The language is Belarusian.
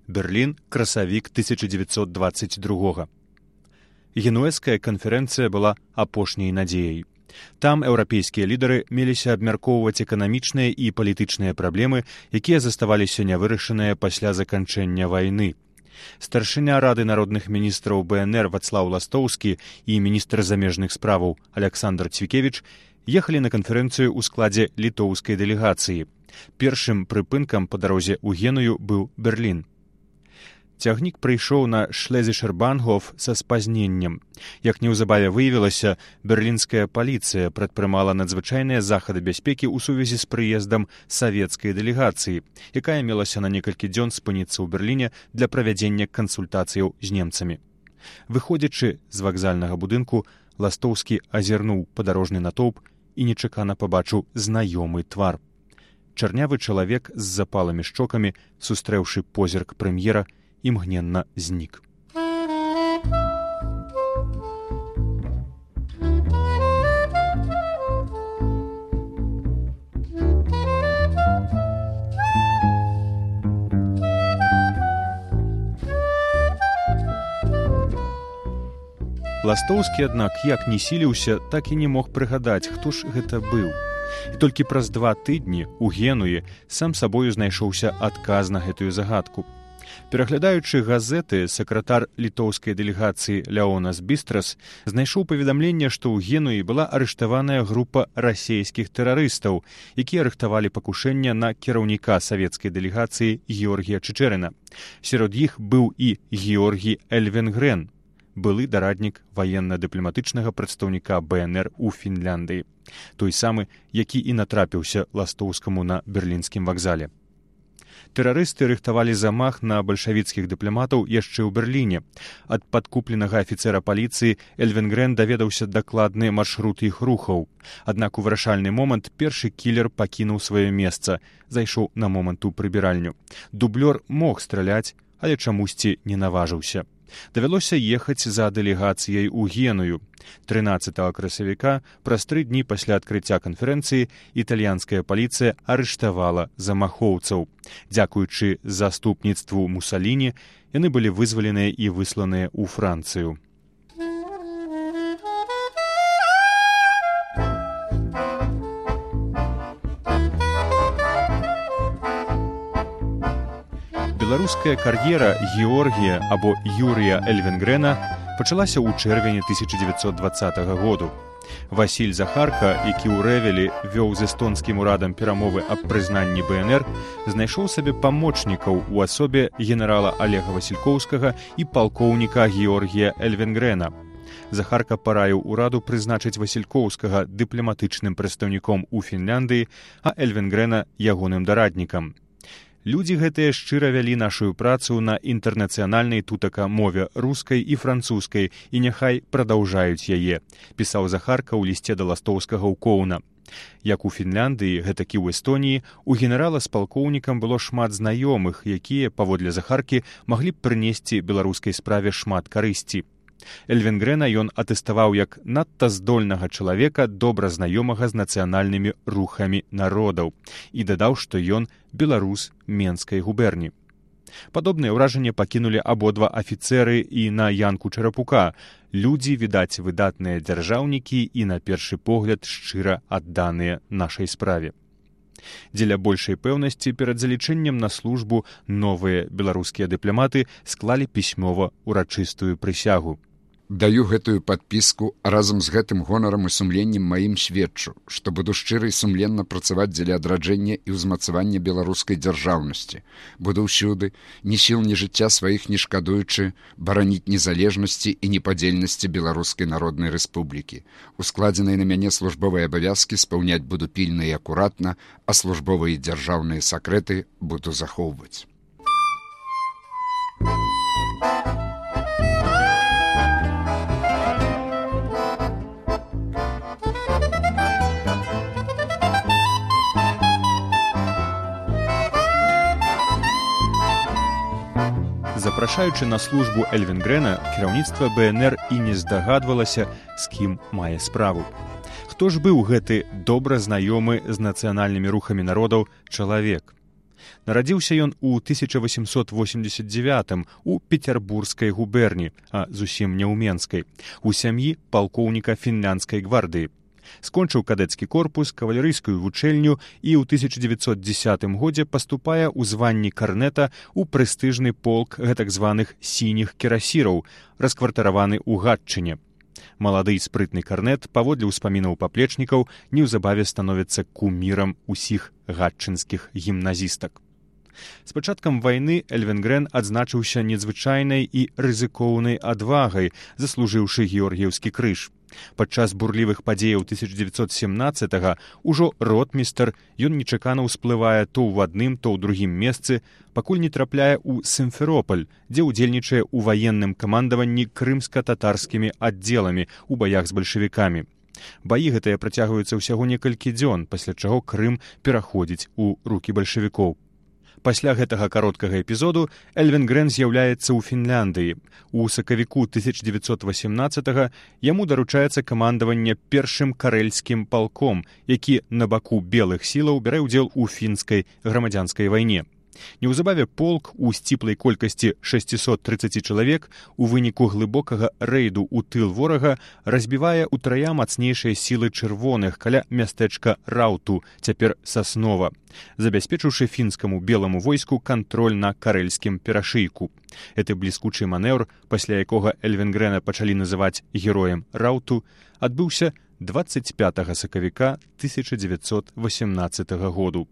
Берлін, красавік 1922. Генуэзская канферэнцыя была апошняй надзеяй. Там еўрапейскія лідары меліся абмяркоўваць эканамічныя і палітычныя праблемы, якія заставаліся нявырашаныя пасля заканчэння вайны. Старшыня Рады народных міністраў БНР Вацлаў Ластоўскі і міністр замежных справаў Аляксандр Цвікевіч ехалі на канферэнцыю ў складзе літоўскай дэлегацыі. Першым прыпынкам па дарозе ў Геную быў Берлін. Цягнік прыйшоў на Шлезішер-Бангоф са спазненнем. Як неўзабаве выявілася, берлінская паліцыя прадпрымала надзвычайныя захады бяспекі ў сувязі з прыездам савецкай дэлегацыі, якая мелася на некалькі дзён спыніцца ў Берліне для правядзення кансультацыяў з немцамі. Выходзячы з вакзальнага будынку, Ластоўскі азірнуў падарожны натоўп і нечакана пабачыў знаёмы твар. Чарнявы чалавек з запалымі шчокамі, сустрэўшы позірк прэм'ера, імгненна знік. Ластоўскі, аднак, як не сіліўся, так і не мог прыгадаць, хто ж гэта быў. І толькі праз 2 тыдні ў Генуі сам сабою знайшоўся адказ на гэтую загадку. Пераглядаючы газеты, сакратар літоўскай дэлегацыі Леонас Бістрас знайшоў паведамленне, што ў Генуі была арыштаваная група расейскіх тэрарыстаў, якія рыхтавалі пакушэнне на кіраўніка савецкай дэлегацыі Георгія Чычэрына. Сярод іх быў і Георгій Эльвенгрен, былы дараднік ваенна-дыпламатычнага прадстаўніка БНР у Фінляндыі, той самы, які і натрапіўся Ластоўскаму на берлінскім вакзале. Тэрарысты рыхтавалі замах на бальшавіцкіх дыпламатаў яшчэ ў Берліне. Ад падкупленага афіцэра паліцыі Эльвенгрен даведаўся дакладны маршрут іх рухаў. Аднак у вырашальны момант першы кілер пакінуў сваё месца, зайшоў на момант у прыбіральню. Дублёр мог страляць, але чамусьці не наважыўся. Давялося ехаць за дэлегацыяй у Геную. 13 красавіка, праз 3 дні пасля адкрыцця канферэнцыі, італьянская паліцыя арыштавала замахоўцаў. Дзякуючы заступніцтву Мусаліні, яны былі вызваленыя і высланыя ў Францыю. Беларуская кар'ера Георгія або Юрія Эльвенгрена пачалася ў чэрвені 1920 году. Васіль Захарка, які ў Рэвелі вёў з эстонскім урадам перамовы аб прызнанні БНР, знайшоў сабе памочнікаў у асобе генерала Алега Васількоўскага і палкоўніка Георгія Эльвенгрена. Захарка параіў ураду прызначыць Васількоўскага дыпламатычным прадстаўніком у Фінляндыі, а Эльвенгрена ягоным дараднікам. Людзі гэтыя шчыра вялі нашую працу на інтэрнацыянальнай тутака мове рускай і французскай і няхай прадаўжаюць яе, пісаў Захарка ў лісце да Ластоўскага ў Коўна. Як у Фінляндыі, гэтак і ў Эстоніі, у генерала з палкоўнікам было шмат знаёмых, якія, паводле Захаркі, маглі б прынесці беларускай справе шмат карысці. Эльвенгрена ён атэставаў як надта здольнага чалавека, добра знаёмага з нацыянальнымі рухамі народаў, і дадаў, што ён беларус Менскай губерні. Падобныя ўражанні пакінулі абодва афіцэры і на Янку Чарапука. Людзі, відаць, выдатныя дзяржаўнікі і, на першы погляд, шчыра адданыя нашай справе. Дзеля большай пэўнасці перад залічэннем на службу новыя беларускія дыпламаты склалі пісьмова ўрачыстую прысягу. Даю гэтую падпіску, а разам з гэтым гонарам і сумленнем маім сведчу, што буду шчыра і сумленна працаваць дзеля адраджэння і ўзмацавання беларускай дзяржаўнасці. Буду ўсюды, ні сіл, ні жыцця сваіх не шкадуючы, бараніць незалежнасці і непадзельнасці Беларускай Народнай Рэспублікі. Ускладзеныя на мяне службовыя абавязкі спаўняць буду пільна і акуратна, а службовыя і дзяржаўныя сакрэты буду захоўваць. Запрашаючы на службу Эльвенгрена, кіраўніцтва БНР і не здагадвалася, з кім мае справу. Хто ж быў гэты добра знаёмы з нацыянальнымі рухамі народаў чалавек? Нарадзіўся ён у 1889 у Петербургскай губерні, а зусім не ў Менскай, у сям'і палкоўніка фінляндскай гвардыі. Скончыў кадэцкі корпус, кавалерыйскую вучэльню і ў 1910 годзе паступае ў званні карнета ў прэстыжны полк гэтак званых сініх кірасіраў, раскватараваны ў Гатчыне. Малады і спрытны карнет, паводле ўспамінаў паплечнікаў, неўзабаве становіцца кумірам усіх гатчынскіх гімназістак. З пачаткам вайны Эльвенгрен адзначыўся незвычайнай і рызыкоўнай адвагай, заслужыўшы георгіеўскі крыж. Падчас бурлівых падзеяў 1917-га ўжо ротмістр, ён нечакана ўсплывае то ў адным, то ў другім месцы, пакуль не трапляе ў Сімферополь, дзе ўдзельнічае ў ваенным камандаванні крымска-татарскімі аддзеламі ў баях з бальшавікамі. Баі гэтыя працягваюцца ўсяго некалькі дзён, пасля чаго Крым пераходзіць у рукі бальшавікоў. Пасля гэтага кароткага эпізоду Эльвенгрен з'яўляецца ў Фінляндыі. У сакавіку 1918-га яму даручаецца камандаванне першым карэльскім палком, які на баку белых сілаў бярэ ўдзел у фінскай грамадзянскай вайне. Неўзабаве полк у сціплай колькасці 630 чалавек у выніку глыбокага рэйду ў тыл ворага разбівае ўтрая мацнейшыя сілы чырвоных каля мястэчка Рауту, цяпер Саснова, забяспечыўшы фінскаму беламу войску кантроль на карэльскім перашыйку. Гэты бліскучы манеўр, пасля якога Эльвенгрена пачалі называць героем Рауту, адбыўся 25 сакавіка 1918 году.